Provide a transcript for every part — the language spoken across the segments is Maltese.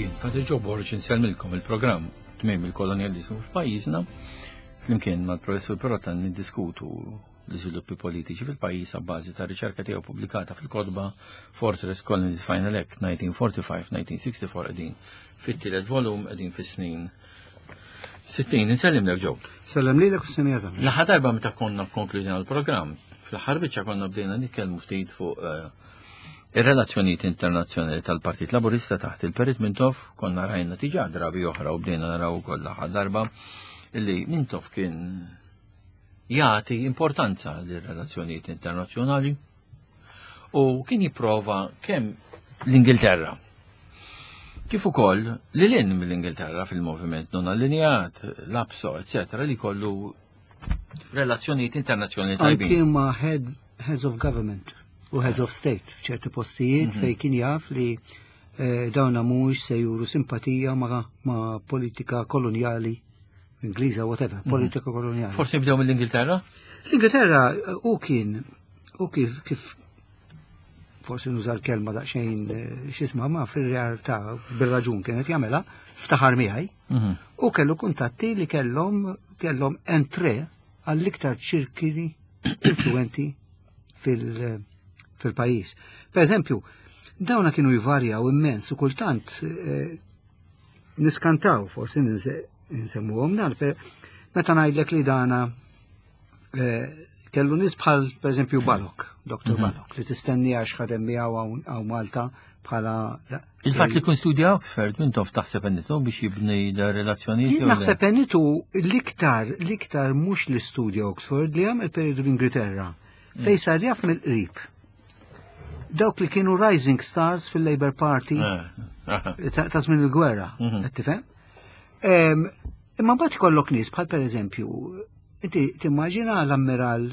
Jien Fatih Joe Borg insellmilkom il-programm tmiem il-kolonjaliżmu f'pajjiżna. Flimkien mal-professur Perotta niddiskutu l-iżviluppi politiċi fil-pajjiż bażi ta' riċerka tiegħu pubblikata fil-kotba Fortress Colony Final Act 1945-1964 qegħdin fit-tielet volum qegħdin fis-snin 60. Insellimlek Joe. Sellem lilek u semija tagħna. L-aħħar darba meta konna konkludina l-programm, fl-aħħar biċċa konna bdejna nitkellmu ftit fuq eh, ir-relazzjonijiet internazzjonali tal-Partit Laburista taħt il-Perit Mintoff konna rajna tiġa drabi oħra u bdejna naraw ukoll l-aħħar darba illi Mintoff kien jagħti importanza lir-relazzjonijiet internazzjonali u kien jipprova kemm l-Ingilterra kif ukoll li lin mill-Ingilterra fil-moviment non allinjat, l-APSO, eccetera, li kollu relazzjonijiet internazzjonali tajbin. Anki ma' head, heads of government u heads of state f'ċerti postijiet mm -hmm. fej kien jaf li eh, dawna mhux se juru simpatija ma', ma politika kolonjali Ingliża, whatever, mhm. politika koloniali. Forsi nibdew mill-Ingilterra? L-Ingilterra eh, u kien, u kif, kif forsi nuża l-kelma daqsxejn eh, x'isma ma fir-realtà bir-raġun kienet jagħmilha, ftaħar miegħi, mhm. u kellu kuntatti li kellhom kellhom entre għall-iktar ċirkili influenti fil-pajjiż. Per eżempju, dawna kienu jvarjaw immens u kultant eh, niskantaw forsi nsemmuhom dan, meta ngħidlek li dana eh, kellu nies bħal pereżempju Balok, Dr. Mhm. Balok, li tistenni għax ħadem miegħu hawn Malta bħala Il-fatt li kun studja Oxford, minn tof taħseb enitu biex jibni da relazzjonijiet? Naħseb enitu l-iktar, l-iktar mhux li studja Oxford li għamel periodu l-Ingilterra, mm. fej sar jaf mill-qrib dawk li kienu rising stars fil-Labour Party eh, eh. ta' żmien il-gwerra, mhm. qed tifhem? Imma mbagħad ikollok nies bħal pereżempju, inti timmaġina l-ammiral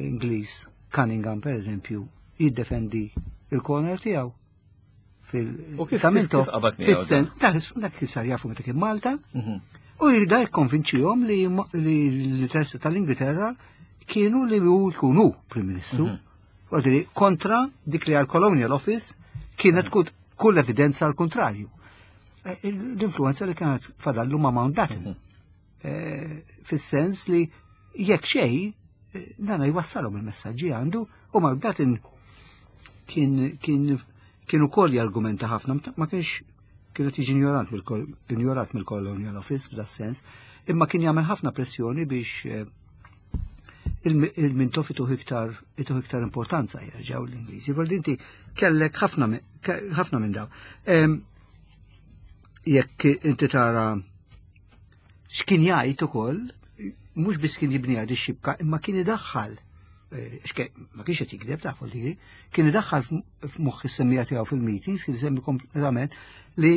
Ingliż Cunningham pereżempju jiddefendi il-corner tiegħu fil Taminto fis-sen dak li sar jafu meta kien Malta mhm. u jida jikkonvinċihom li l-interessi tal-Ingilterra kienu li hu jkunu Prim Ministru. Mhm. Għadri, kontra dik li għal-Colonial Office kienet kull evidenza għal kontrarju. Eh, l-influenza li kienet fadallu ma' Mountbatten. Mhm. Eh, fis-sens li jekk xej, eh, dana jwassalhom il-messaġġi għandu u Mountbatten kien kien kien ukoll jargumenta ħafna, ma kienx kienet jiġi ignorat mill-Colonial Office f'da sens, imma kien jagħmel ħafna pressjoni biex il-Mintoff ituh iktar ituh iktar importanza jerġgħu l-Ingliżi. Vol inti kellek ħafna ħafna minn daw. Jekk inti tara x'kien jgħid ukoll, mhux biss kien jibni għad ix-xibka, imma kien idaħħal eh, ma kienx qed jikdeb ta' folli, kien idaħħal f'moħħ is-semmija tiegħu fil-meetings, kien isemmi kompletament li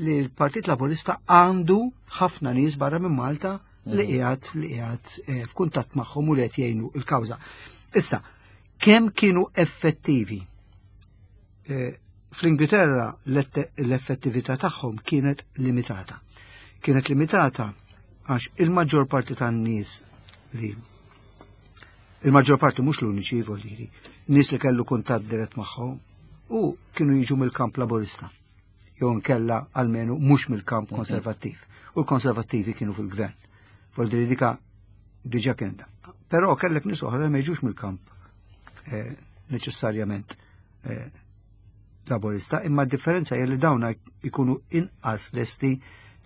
l-Partit Laburista għandu ħafna nies barra minn Malta li mhm. qiegħed li qiegħed eh, f'kuntatt magħhom u li qed jgħinu l-kawża. Issa, kemm kienu effettivi? Eh, Fl-Ingilterra l-effettività tagħhom kienet limitata. Kienet limitata għax il-maġġor parti tan-nies li il-maġġor parti mhux l-uniċi voliri, nies li kellu kuntatt dirett magħhom u kienu jiġu mill-kamp laburista. jew nkella almenu mhux mill-kamp mhm. konservattiv. U l-konservattivi kienu fil-gvern. Voldiri dika diġa kien da. Però kellek nies oħra ma jiġux mill-kamp eh, neċessarjament eh, laborista, imma d-differenza hija li dawna jkunu inqas lesti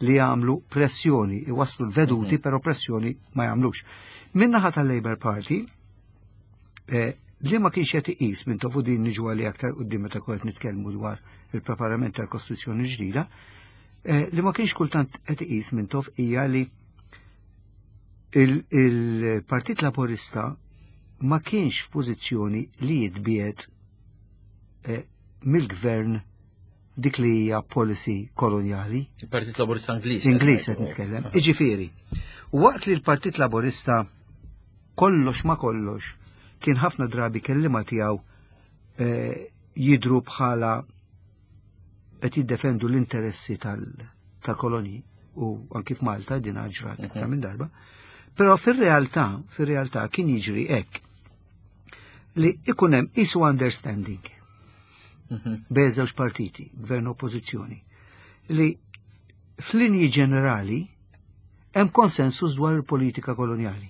li jagħmlu pressjoni, iwasslu l-veduti, mhm. però pressjoni ma jagħmlux. Minnaħa tal-Labour Party, Eh, li ma kienx qed iqis minn tofu din niġu għalli aktar quddiem meta kont nitkellmu dwar il-preparament tal-Kostituzzjoni ġdida, eh, li ma kienx kultant qed iqis minn tof hija li il-Partit Laburista ma kienx f'pożizzjoni li jitbiet eh, mill-gvern dik li hija policy kolonjali. Il-Partit Laburista Ingliż. Ingliż qed nitkellem. Iġifieri, waqt li l-Partit Laburista kollox ma kollox kien ħafna drabi kellima tiegħu eh, jidru bħala qed jiddefendu l-interessi tal-kolonji u anki f'Malta din ġrat mhm. ta' minn darba. Però fir-realtà, fir-realtà kien jiġri hekk li ikun hemm isu understanding mhm. bejn żewġ partiti, gvern oppożizzjoni. li f'linji ġenerali hemm konsensus dwar il-politika kolonjali.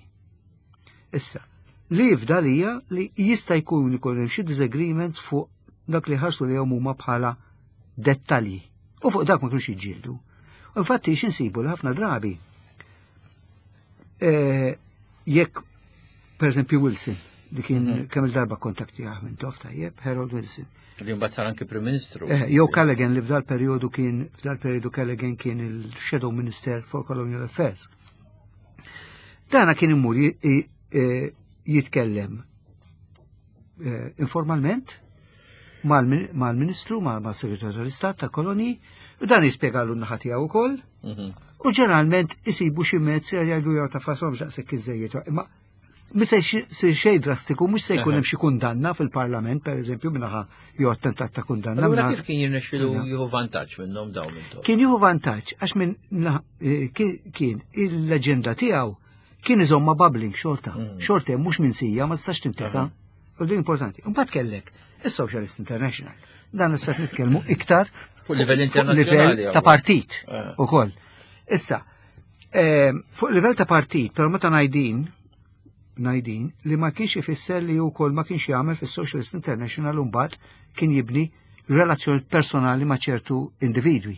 Issa, li fdal hija li jista' jkun ikun hemm xi disagreements fuq dak li ħarsu li huma bħala dettalji. U fuq dak ma kienux jiġġieldu. Infatti x'insibu li ħafna drabi eh, jekk per eżempju Wilson li kien mhm. kemm il-darba kontaktijah minn tof tajjeb, Harold Wilson. Li mbagħad sar anki Prim Ministru. Eh, jew Callaghan li f'dal perjodu kien f'dal perjodu Callaghan kien il-Shadow Minister for Colonial Affairs. Dana kien imur e, jitkellem e, informalment mal-Ministru, mal-Segretarju tal-Istat ta' Koloni, u dan jispjegalu n-naħa tiegħu wkoll. Mhm. U ġeneralment isibu xi mezz jgħidu jew ta' fasom daqshekk iżejjed. Imma Mi se jsir xejn drastiku, mhux se jkun hemm xi kundanna fil-Parlament, pereżempju, minnaħa jew attentat ta' kundanna. Allura kif kien jirnexxilu jieħu vantaġġ minnhom dawn intom? Kien jieħu vantaġġ għax minn eh, kien il-leġenda tiegħu kien iżomma bubbling xorta. Mm. Xorta hemm mhux minsija ma tistax tintesa. U din importanti. Imbagħad kellek is-Socialist International. Dan issa nitkellmu iktar fuq livell internazzjonali ta' partit eh. ukoll. Issa, Eh, fuq livell ta' partit, però meta ngħidin, ngħidin li ma kienx ifisser li wkoll ma kienx jagħmel fis-Socialist International mbagħad kien jibni relazzjoni personali ma' ċertu individwi.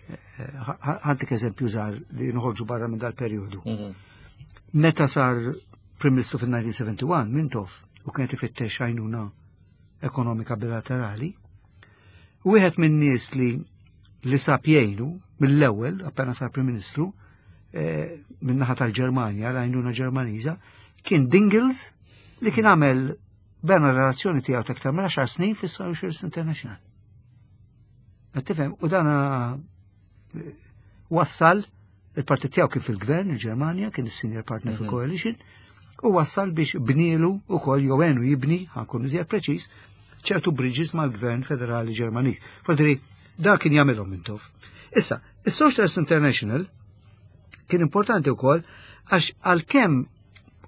Eh, ħantik eżempju żgħar li nħorġu barra minn dal-perjodu. Mhm. Meta sar Prim Ministru fil-1971 Mintoff u kienet ifittex għajnuna ekonomika bilaterali, Wieħed minn nies li li sab jgħinu mill-ewwel appena sar Prim Ministru eh, min-naħa tal-Ġermanja, l-għajnuna Ġermaniża, kien Dingles li kien għamel bena relazzjoni tiegħu ta' aktar minn 10 snin fis-Socialist International. Qed tifhem, u dana eh, wassal Il-partit tiegħu kien fil-gvern il-Ġermanja, kien is-senior partner mhm. fil-coalition, u wassal biex bnielu ukoll jew għenu jibni, ħankun iżjed preċiż, ċertu bridges mal-gvern federali Ġermaniż. Fadri, da kien jagħmilhom Mintoff. Issa, is-Socialist International kien importanti wkoll għax għalkemm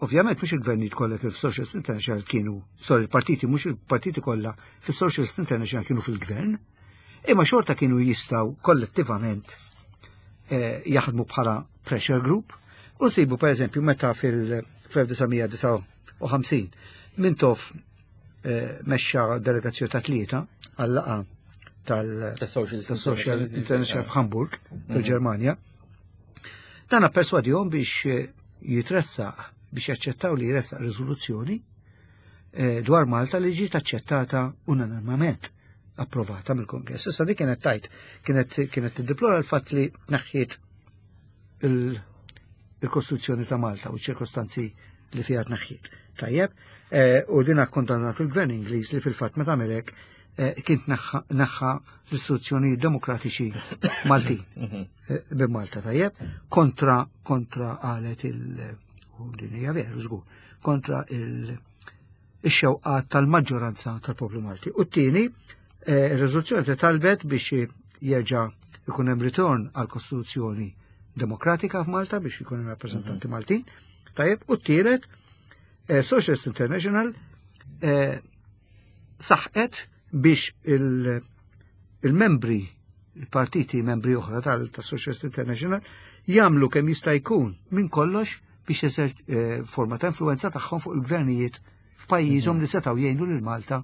ovvjament mhux il-gvernijiet kollha kif Socialist International kienu, sorry, il-partiti mhux il-partiti kollha fis-Socialist International kienu fil-gvern, imma xorta kienu jistgħu kollettivament eh, jaħdmu bħala pressure group u nsibu per eżempju meta fil-1959 Mintoff eh, mexxa delegazzjoni ta' tlieta għal-laqa tal-Social International f'Hamburg mhm. fil-Ġermanja. Dan perswadihom biex eh, jitressaq biex jaċċettaw li jressaq riżoluzzjoni dwar Malta li ġiet aċċettata unanimament approvata mill-Kongress. Issa dik kienet tajt, kienet kienet tiddeplora l-fatt li tneħħiet il-Kostituzzjoni ta' Malta u ċirkostanzi li fiha tneħħiet. Tajjeb, eh, u din akkondannat il-Gvern Ingliż li fil-fatt meta għamel eh, kien neħħa l-istituzzjoni demokratiċi Maltin mhm. eh, bi Malta tajjeb kontra kontra qalet il u din hija veru żgur kontra il ix-xewqat tal-maġġoranza tal-poplu Malti. U t-tieni, eh, ir-riżoluzzjoni te talbet biex jerġa' ikun hemm ritorn għal Kostituzzjoni Demokratika f'Malta biex ikun hemm rappreżentanti mhm. Maltin. Tajjeb, u t-tielet, eh, Socialist International eh, saħqet biex il-membri, il-partiti membri oħra tal-Socialist International jagħmlu kemm jista' jkun minn kollox biex eżer eh, forma ta' influenza tagħhom fuq il-gvernijiet f'pajjiżhom mhm. li setgħu jgħinu lil Malta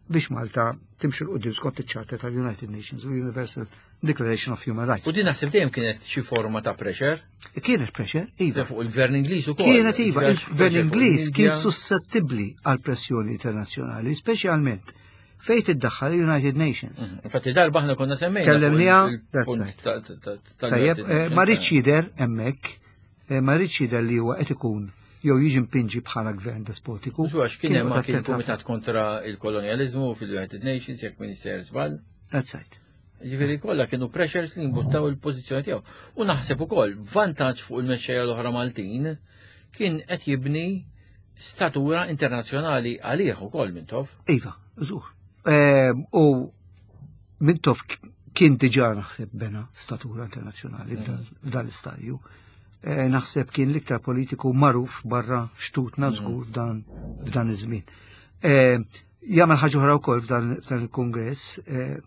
biex Malta timxi l-qudiem skont iċ-Charter tal-United Nations u Universal Declaration of Human Rights. U din naħseb dejjem kienet xi forma ta' pressure? Kienet pressure, iva. Fuq il-gvern Ingliż ukoll. Kienet iva, il-gvern Ingliż kien suscettibbli għal pressjoni internazzjonali, speċjalment fejn tiddaħħal United Nations. Mhm. Infatti darba aħna konna semmejna. Kellemniha, that's right. Tajjeb, eh, ma rridx jidher hemmhekk Eh, ma rridx jidher li huwa qed ikun jew jiġi mpinġi bħala gvern despotiku. Għax kien hemm anke il-Kumitat kontra il-Kolonjaliżmu fil-United Nations jekk min jisser żball. That's right. Ġifieri kollha kienu pressures li jimbuttaw il-pożizzjoni tiegħu. U naħseb ukoll vantaġġ fuq il-mexxejja l-oħra Maltin kien qed jibni statura internazzjonali għalih ukoll Mintoff. Iva, żgur. Eh, u Mintoff kien diġà naħseb bena statura internazzjonali f'dan l-istadju. Eh, naħseb kien l-iktar politiku magħruf barra xtutna mm. żgur f'dan iż-żmien. Eh, jagħmel ħaġa oħra wkoll f'dan il-kongress eh,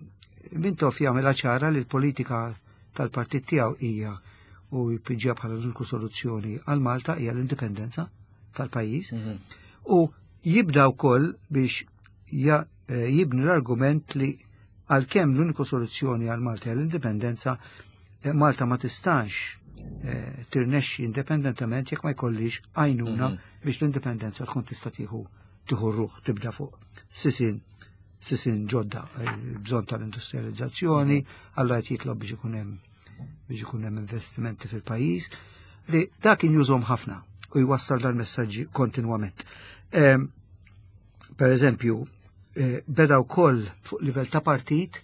Mintoff jagħmilha ċara li l-politika tal-partit tiegħu hija u jpiġġa bħala l-uniku soluzzjoni għal Malta hija l-indipendenza tal-pajjiż. U jibda wkoll biex jibni l-argument li għalkemm l-uniku soluzzjoni għal Malta hija l-indipendenza, Malta ma tistax tirnexxi indipendentement jekk ma jkollix għajnuna biex l-indipendenza tkun tista' tieħu tieħu ruħ tibda fuq sisin ġodda, bżonn tal-industrializzazzjoni, alla qed jitlob biex ikun hemm investimenti fil-pajjiż, li dak kien jużhom ħafna u jwassal dal-messaġġi kontinwament. Per eżempju, beda wkoll fuq livell ta' partit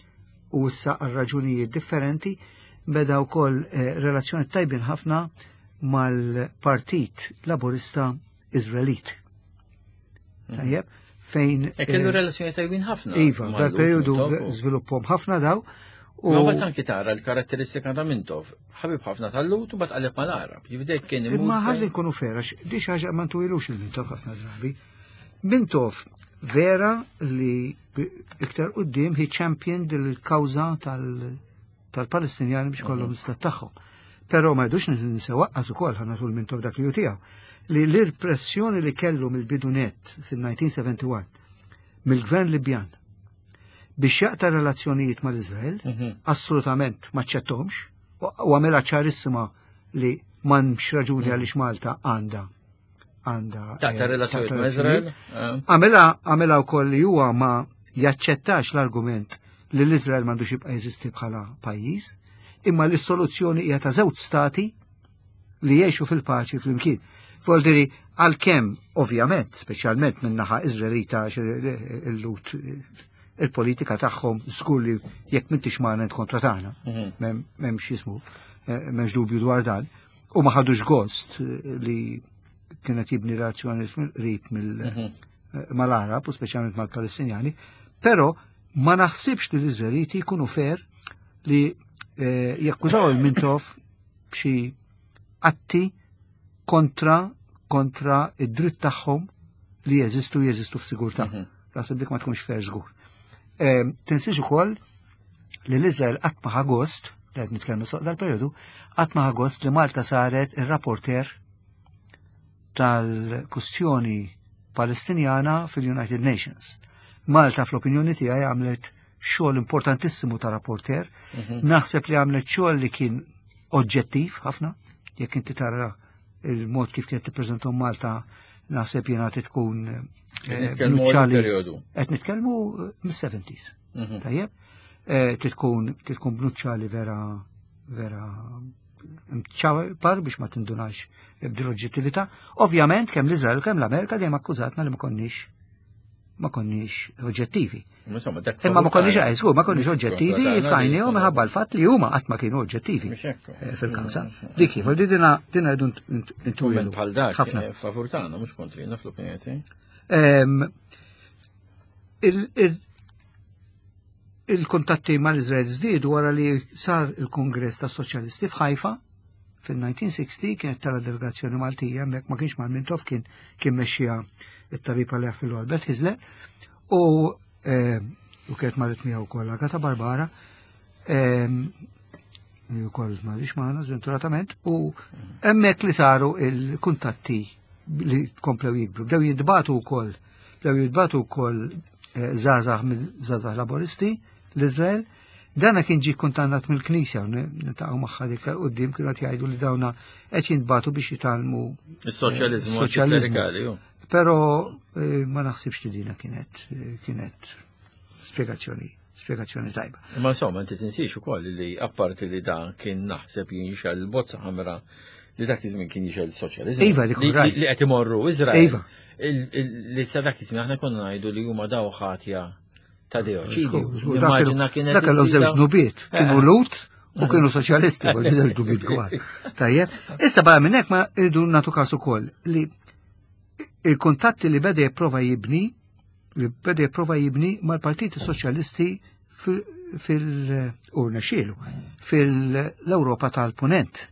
u issa għal raġunijiet differenti, beda wkoll relazzjoni tajbin ħafna mal-Partit Laburista Izraelit. Tajjeb, fejn, E kellu relazzjoni tajbin ħafna. Iva, mal-Lhud, dal-periodu Mintoff u- żvilupphom ħafna daw. U Ma bat anki tara l-karatteristika ta' Mintoff, ħabib ħafna tal-Lhud u bat qaleb mal-Arab. Jibdek kien imur Imma ħalli fejn- nkunu fera, di xi ħaġa ma ntwilux il-Mintoff ħafna drabi. Mintoff vera li iktar quddiem he championed il-kawża tal-Palestinjani biex kollhom l-istat tagħhom. Però ma jdux ninsew waqqas ukoll ħa nagħtu l-Mintoff dak li hu tiegħu. Li l-irpressjoni li kellu mill-bidunet fil-1971 mill-gvern Libjan biex jaqta' relazzjonijiet mal-Izrael, assolutament ma ċċettomx, u għamela ċarissima li m'hemmx raġuni għaliex Malta għandha Taqta' relazzjonijiet taqta' ma' Izrael? relazzjonijiet. Għamela wkoll li huwa ma jaċċettax l-argument li l-Izrael m'għandux jibqa' jeżisti bħala pajjiż, imma li s-soluzzjoni hija ta' żewġ stati li jgħixu fil-paċi flimkien. Voldiri, għalkemm, ovvjament, speċjalment minn naħa Izraelita, għax il-Lhud, il-politika tagħhom żgur li jekk m'intix magħna int kontra tagħna. M'hemmx jismu, m'hemmx dubju dwar dan. U ma ħadux gost li kienet jibni relazzjoni qrib mal-Arab u speċjalment mal-Palestinjani, però ma naħsibx li l-Izraeliti jkunu fair li jakkużaw il-Mintoff b'xi atti kontra id-dritt tagħhom li jeżistu f'sigurtà. Naħseb dik ma tkunx fair żgur. Tinsiex ukoll li l-Iżrael qatt ma ħa gost, li qed nitkellmu suq dal-perjodu, qatt ma ħa gost li Malta saret ir-rapporter tal-kustjoni Palestinjana fil-United Nations. Malta fl-opinjoni tiegħi għamlet xogħol importantissimu ta' rapporter, naħseb li għamlet xogħol li kien oġġettiv ħafna, jekk inti tara il-mod kif kienet tippreżentom Malta, naħseb jiena tkun Qed nitkellmu nuċċali. għal periodu. Qed nitkellmu mis-70s. Tajjeb? Titkun bnuċċali vera, vera mċapar biex ma tindunax b'dil oġġettività. Ovvjament kemm l-Iżrael kemm l-Amerika dejjem akkużatna li ma konniex oġġettivi. Insomma, dak Imma ma favur konniex, tagħna. żgur, ma konniex oġġettivi, Kontra tagħna fajnihom li- minħabba l-fatt li huma qatt ma kienu oġġettivi, Mhux hekk. fil-kawża. Dik hi, voldiri dina rridu ntuwilu. Kumment bħal dak, Ħafna. favur tagħna, mhux kontrina fl-opinjoni tiegħi. Il-kuntatti mal-Iżrael żdiedu wara li sar il-Kongress tas Soċjalisti f'Ħajfa fil-1960, kienet tala delegazzjoni Maltija, hemmhekk ma kienx mal-Mintoff, kien mexxija it-tabib għalih fil-Albert Hyzler, u kienet marret miegħu wkoll Agata Barbara, li wkoll ma rridx magħna żventuratament, u hemmhekk li saru il-kuntatti li komplew jikbru. Bdew jintbagħtu wkoll, bdew jintbagħtu wkoll żgħażagħ mill-żgħażagħ laboristi l-Iżrael. Dana kien ġie kundannat mill-Knisja, niltaqgħu magħha dik quddiem, kienu qed jgħidu li dawna qed jintbagħtu biex jitgħallmu Is-soċjaliżmu soċjaliżmu. antiklerikali, ju. Però ma naħsibx li dina kienet spjegazzjoni tajba. Ma insomma, inti tinsiex ukoll li apparti li dan kien naħseb jinxel il-bozza ħamra li dak iż-żmien kien jixel soċjaliżmu. Iva, dik rajt. Li qed imorru Iżrael. Iva. Li sa dak iż-żmien aħna konna ngħidu li huma daw ħatja ta' deoċidi. Żgur, żgur, Nimmaġina kienet dak kellhom żewġ iżida- dnubiet, kienu Lut u kienu soċjalisti, voglio żewġ dnubiet kbar. Tajjeb. Issa barra minn hekk ma rridu nagħtu każ ukoll li il-kuntatti li beda jipprova jibni, li beda jipprova jibni mal-Partiti Soċjalisti fil-urna xielu, fil-Ewropa tal-Punent.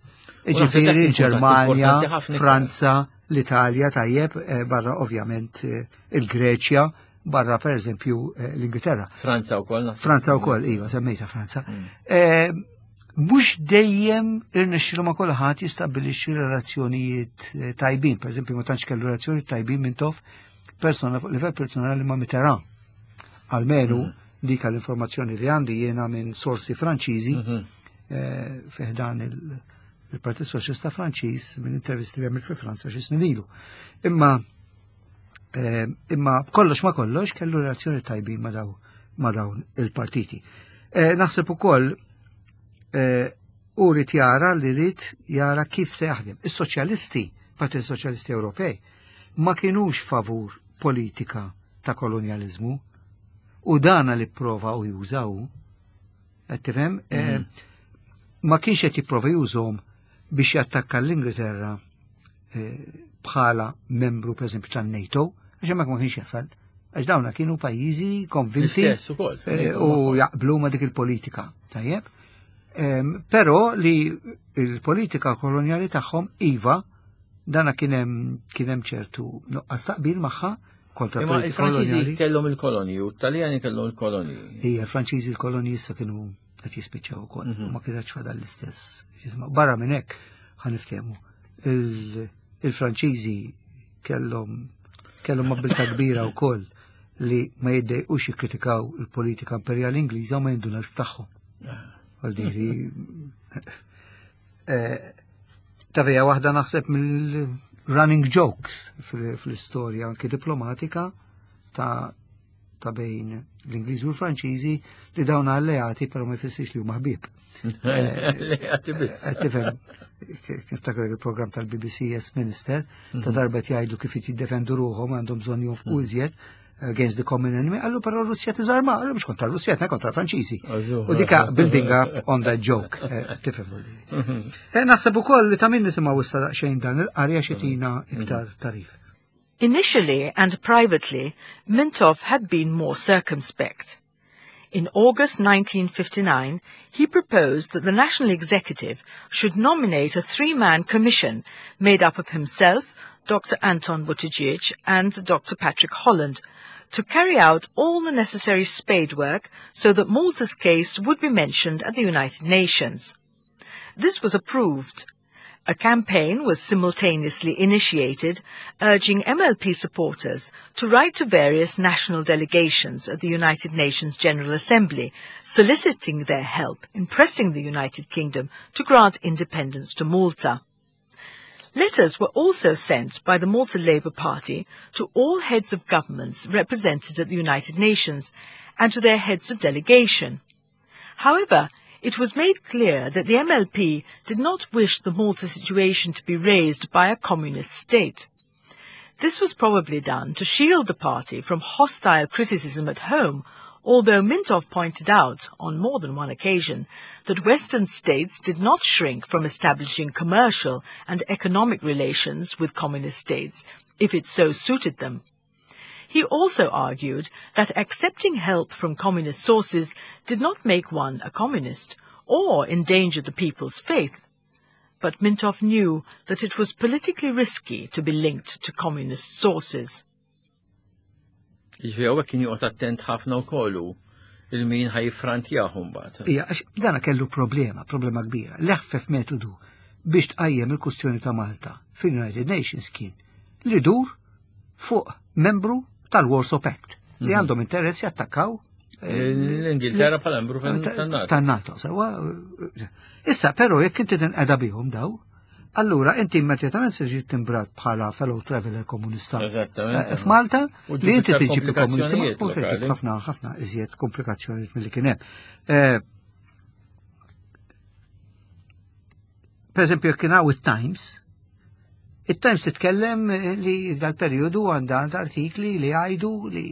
U naħseb dak Ġifieri kien kuntatt Ġermanja, importanti ħafna iktar. Franza, l-Italja, tajjeb, barra ovvjament il-Greċja. barra per eżempju eh, l-Ingilterra. Franza wkoll. Franza wkoll, iva, semmejta Franza. Mm. Eh, mhux dejjem irnexxilu ma' kulħadd jistabbilixxi relazzjonijiet eh, tajbin, per eżempju ma tantx kellu relazzjonijiet tajbin minn tof persona fuq livell personali ma' Mitterrand. Almenu mm. dik l-informazzjoni li għandi jiena minn sorsi Franċiżi mm -hmm. fiħdan il-Partit Soċjalista Franċiż minn intervisti li għamil fi Franza xi snin ilu. Imma eh, imma kollox ma kollox kellu relazzjoni tajbin ma daw ma dawn il-partiti. Eh, naħseb ukoll eh, u rrid jara li rrid jara kif se jaħdem. Is-soċjalisti, Partit Soċjalisti Ewropej, ma kienux favur politika ta' kolonjalizmu u dana li prova u jużaw. Qed tifhem? Eh, mhm. Ma kienx qed jipprova jużhom biex jattakka l-Ingilterra eh, bħala membru pereżempju tan-NATO, għax hemmhekk ma kienx jasal. Għax dawna kienu pajjiżi konvinti eh, u jaqblu ma dik il-politika. Tajjeb? Però li il-politika kolonjali tagħhom iva dana kien hemm ċertu nuqqas taqbil magħha kontra Imma il-Franċiżi kellhom il-kolonji u t-Taljani kellhom il-kolonji. Ija, il-Franċiżi l-kolonji issa kienu qed jispiċċaw ukoll, mhm. ma kienx fadal l-istess. Barra minn hekk ħaniftehmu. Il-Franċiżi kellhom kellhom abilta kbira wkoll li ma jiddejqux jikkritikaw il-politika imperjali Ingliża u ma jindunax b'tagħhom. Ah. Għal eh, tavija waħda naħseb mill-running jokes fl-istorja anki diplomatika ta' ta' bejn l-Ingliżi u l-Franċiżi li dawn alleati però ma jfissirx li huma ħbieb. Alleati biss. Eh, tifhem, niftakar il-programm tal-BBC Yes Minister, ta' mhm. darba jgħidu kif jiddefendu ruħhom għandhom bżonn jonfqu mhm. iżjed against the common enemy, għallu però Russja tiżarma, għallu mux kontra Russja, kontra Franċiżi. U dika building up on that joke, eh, tifhem. Mhm. Eh, naħseb ukoll li ta' min nisimgħu issa daqsxejn dan il-qarja xitina iktar tarif. Initially and privately, Mintoff had been more circumspect. In August 1959, he proposed that the National Executive should nominate a three-man commission made up of himself, Dr. Anton Buttigieg and Dr. Patrick Holland to carry out all the necessary spade work so that Malta's case would be mentioned at the United Nations. This was approved. A campaign was simultaneously initiated urging MLP supporters to write to various national delegations at the United Nations General Assembly, soliciting their help in pressing the United Kingdom to grant independence to Malta. Letters were also sent by the Malta Labour Party to all heads of governments represented at the United Nations and to their heads of delegation. However, it was made clear that the MLP did not wish the Malta situation to be raised by a communist state. This was probably done to shield the party from hostile criticism at home, although Mintoff pointed out, on more than one occasion, that Western states did not shrink from establishing commercial and economic relations with communist states if it so suited them. He also argued that accepting help from communist sources did not make one a communist or endanger the people's faith. But Mintoff knew that it was politically risky to be linked to communist sources. Ġifieri hawnhekk kien joqgħod attent ħafna wkoll hu il-min ħajfrantjah mbagħad. Ija, għax dana kellu problema, problema kbira. L-eħfef metodu biex tqajjem il-kustjoni ta' Malta fil-United Nations kien li dur fuq membru tal-Warsaw Pact li mhm. għandhom interess jattakkaw eh, l-Ingilterra bħala membru tan-NATO. Tan-NATO, sewa. Issa, però jekk inti tinqeda bihom daw, allura inti immedjatament se ġiet timbrat bħala fellow traveler komunista. Eżattament. Eh, F'Malta li inti tiġi komunista u ħafna ħafna iżjed komplikazzjonijiet milli kien hemm. Eh, Per eżempju, jekk kien hawn it-Times, it-Times titkellem li dal-perjodu għandha għandha artikli li jgħidu li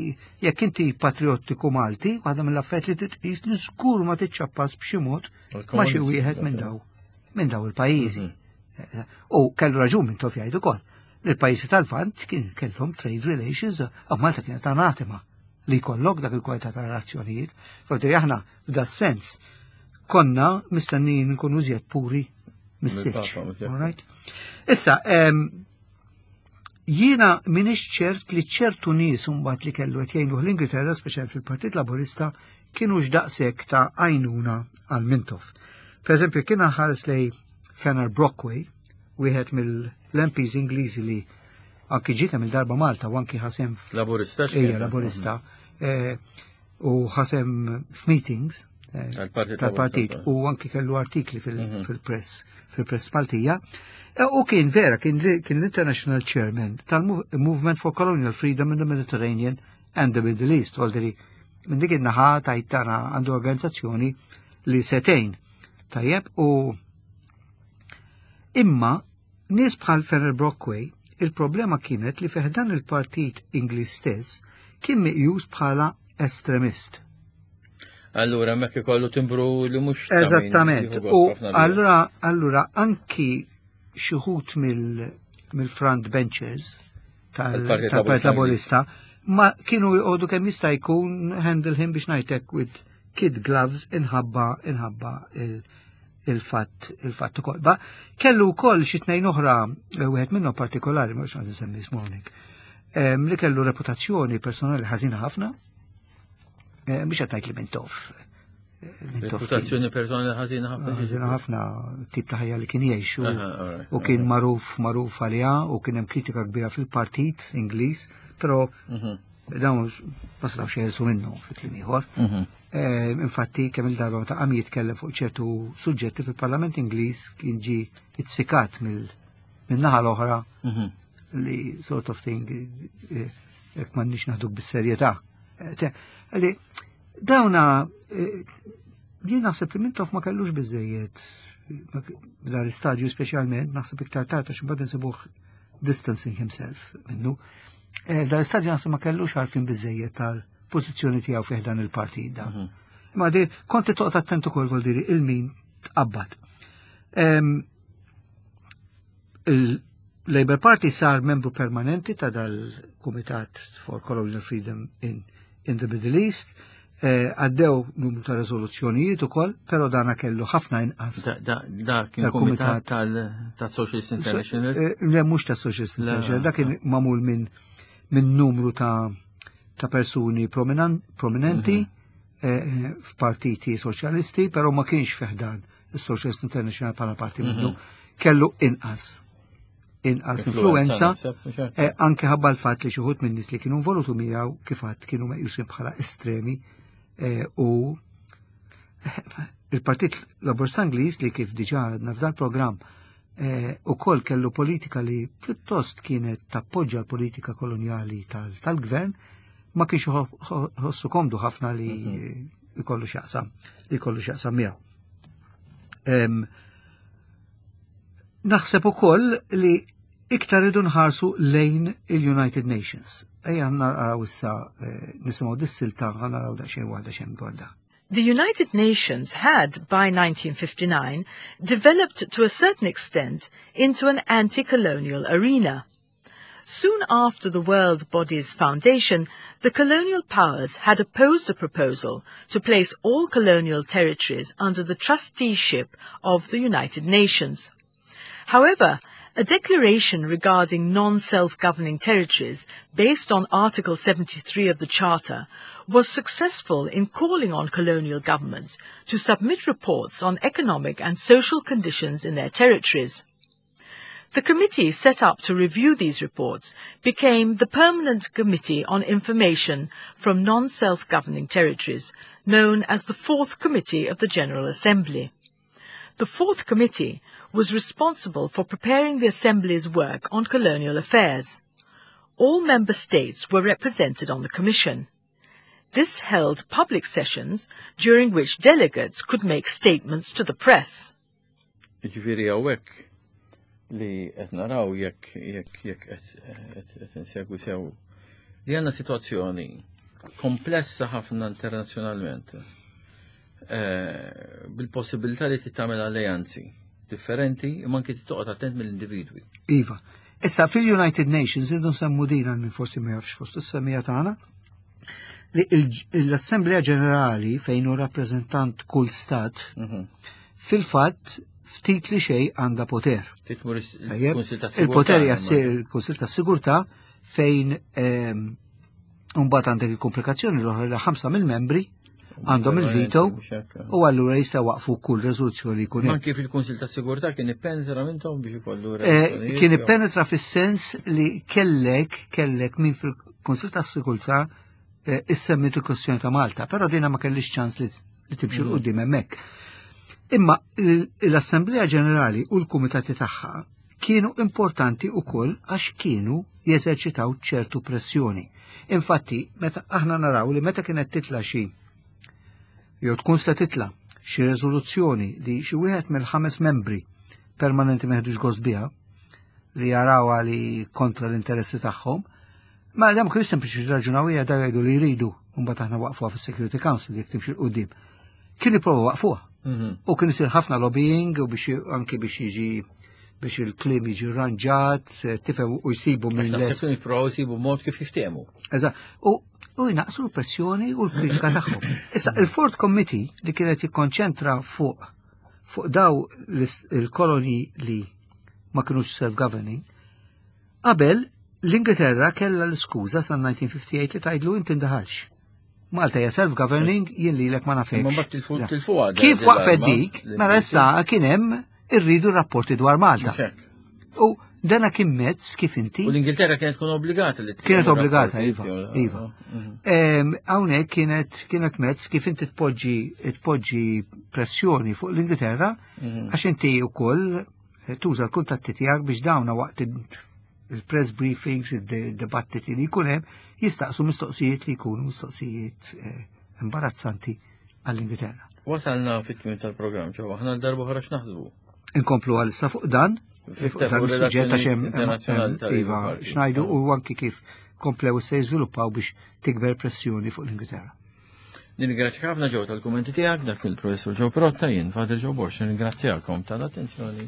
jekk inti patriottiku Malti, waħda mill-affarijiet li titqis li żgur ma tiċċappas b'xi mod ma xi wieħed minn daw minn daw il-pajjiżi. Mhm. U kellu raġun minn tof jgħidu ukoll li l-pajjiżi tal-Lvant kien kellhom trade relations u Malta kienet anatema li jkollok dak il-kwalità ta' relazzjonijiet. Forti aħna f'da sens konna mistennijin nkunu iżjed puri mis-silġ. Issa, Jiena m'iniex ċert li ċertu nies imbagħad li kellu qed jgħinuh l-Ingilterra, speċjalment fil-Partit Laburista, kienux daqshekk ta' għajnuna għal Mintoff. Per eżempju, kien ħares lejn Fenner Brockway, wieħed mill-MPs Ingliżi li anki ġie kemm il-darba Malta u anki ħa sehem Laburista. Ejja, Laburista. U ħa sehem f'meetings tal-partit u anki kellu artikli fil-press Maltija. U kien vera, kien l-International Chairman tal-Movement for Colonial Freedom in the Mediterranean and the Middle East. Voldiri, minn dik in-naħa tajtana għandu organizzazzjoni li setejn. Tajjeb, u imma nies bħal Fenner Brockway, il-problema kienet li fi ħdan il-partit Ingliż stess kien meqjus bħala estremist. Allura, mek ikollu timbru li mhux. Eżattament. U allura anki xi wħud mill-front benchers tal-Partit Laburista ma kienu jqogħdu kemm jista' jkun handle him, biex ngħidlek, with kid gloves inħabba il-fatt ukoll. Ba kellu wkoll xi tnejn oħra, wieħed minnhom partikolari, mhux għandi nsemmi ismu hawnhekk, li kellu reputazzjoni personali ħażina ħafna, biex qed li Mintoff. Reputazzjoni personali ħażina ħafna. Ħażina ħafna, tip ta' ħajja li kien jgħix u kien magħruf għaliha u kien hemm kritika kbira fil-partit Ingliż, però dawn ma setgħux jeħilsu minnu fi kliem ieħor. Infatti kemm il-darba meta qam jitkellem fuq ċertu suġġetti fil-Parlament Ingliż kien ġi itsikat mill-naħa l-oħra li sort of thing jekk m'għandniex naħduk bis-serjetà. Li dawna jien naħseb li Mintoff ma kellux biżejjed dan l-istadju speċjalment, naħseb iktar tard għax imbagħad insibuh distancing himself minnu. Dan l-istadju naħseb ma kellux għarfien biżejjed tal-pożizzjoni tiegħu fih dan il-partit da. Ma di konti toqgħod attent ukoll, vol diri il-min tqabbad. Il-Labour Party sar membru permanenti ta' dal-Kumitat for Colonial Freedom in the Middle East. Għaddew numru ta' rezoluzzjonijiet ukoll, però dana kellu ħafna inqas. Da kien kumitat tal-Socialist International? Le, mhux ta' Socialist International, da kien magħmul minn numru ta' persuni prominenti f'partiti soċjalisti, però ma kienx fi ħdan il-Socialist International bħala parti minnu, kellu inqas influenza, anke ħabba l-fatt li xi wħud minn nies li kienu involuti miegħu kif għad kienu meqjusin bħala estremi u il-Partit Laburista Ingliż li kif diġà għadna f'dal programm ukoll kellu politika li pjuttost kienet tappoġġa l-politika kolonjali tal-gvern, ma kienx ħossu komdu ħafna li jkollu x'jaqsam miegħu. Naħseb ukoll li iktar idu nħarsu lejn il-United Nations. Ejja naraw issa nisimgħu dis-silta, naraw daqsxejn waħda xejn dwar da. The United Nations had, by 1959, developed to a certain extent into an anti-colonial arena. Soon after the world body's foundation, the colonial powers had opposed a proposal to place all colonial territories under the trusteeship of the United Nations. However, a declaration regarding non-self-governing territories based on Article 73 of the Charter was successful in calling on colonial governments to submit reports on economic and social conditions in their territories. The committee set up to review these reports became the Permanent Committee on Information from Non-Self-Governing Territories, known as the Fourth Committee of the General Assembly. The Fourth Committee was responsible for preparing the Assembly's work on colonial affairs. All member states were represented on the Commission. This held public sessions during which delegates could make statements to the press. Ġifieri hawnhekk li qed naraw jekk qed insegwi sew li għandna sitwazzjoni komplessa ħafna internazzjonalment bil-possibilità li tagħmel alleanzi differenti imma anki toqgħod attent mill-individwi. Iva. Issa fil-United Nations irridu nsemmu din għal min forsi ma jafx fost is-semmiegħa tagħna li l-Assemblea Ġenerali fejn hu rappreżentant kull stat fil-fatt. ftit li xejn għandha poter. Il-poter jassir il-Kunsil tas-Sigurtà fejn mbagħad għandek il-komplikazzjoni l-oħra li ħamsa mill-membri għandhom il-veto u allura jista' waqfu kull riżoluzzjoni jkun hemm. Anki fil-Kunsil tas-Sigurtà kien ippenetra minnhom biex ikollu eh, Kien ippenetra fis-sens li kellek kellek min fil-Kunsil tas-Sigurtà eh, issemmit il-kwestjoni ta' Malta, però dina ma kellix ċans li timxi l qudiem hemmhekk. Imma l-Assemblea Ġenerali u l-Kumitati tagħha kienu importanti wkoll għax kienu jeżerċitaw ċertu pressjoni. Infatti, meta aħna naraw li meta kienet titla xi jew tkun se titla xi riżoluzzjoni li xi wieħed mill-ħames membri permanenti meħdux gost biha li jarawha li kontra l-interessi tagħhom, ma dam kienu sempliċi raġunaw hija da jgħidu li jridu u mbagħad aħna waqfuha fis-Security Council jekk timxi l-qudiem. Kien jipprova waqfuha. U kien isir ħafna lobbying u biex anki biex jiġi biex il-klim jiġi rranġat, eh, tifhem u jsibu minn lest. Kien jipprovaw jsibu mod kif jiftehmu. Eżatt. U u jnaqsu l-pressjoni u l-kritika tagħhom. Issa, il-Ford Committee li kienet jikkonċentra fuq fuq daw il-koloni li ma kinux self-governing, qabel l-Ingilterra kellha l-iskuża sa' 1958 li tgħidlu inti ndaħalx. Malta hija self-governing jien lilek ma nafekx. Kif waqfet dik, mela issa kien hemm irridu rapporti dwar Malta. U dana kien mezz kif inti. U l-Ingilterra kienet tkun obbligata li Kienet obbligata, iva. Iva. Mhm. Hawnhekk kienet kienet mezz kif inti tpoġġi tpoġġi pressjoni fuq l-Ingilterra mhm. għax inti wkoll eh, tuża l-kuntatti tiegħek biex dawna waqt il-press briefings, il-dibattiti li jkun hemm, jistaqsu mistoqsijiet li jkunu mistoqsijiet eh, imbarazzanti għall-Ingilterra. Wasalna fit-tmiem tal-programm, ġew aħna l-darba oħra x'naħsbu. Inkomplu għal issa fuq dan, fuq dan is-suġġett għax hemm iva x'ngħidu u anki kif komplew se jiżviluppaw biex tikber pressjoni fuq l-Ingilterra. Nirringrazzjak ħafna ġew tal-kummenti tiegħek dak il-professur Ġew Protta jien Father Ġew Borx nirringrazzjakom tal-attenzjoni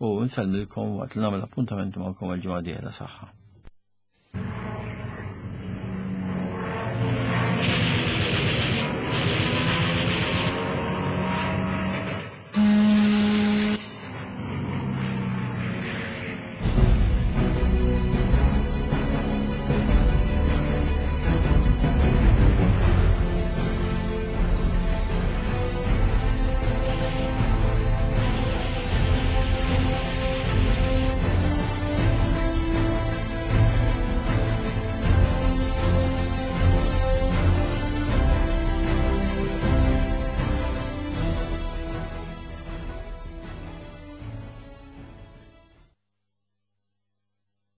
u nsellmilkom waqt li nagħmel appuntament magħkom għal ġimgħa dieħla saħħa.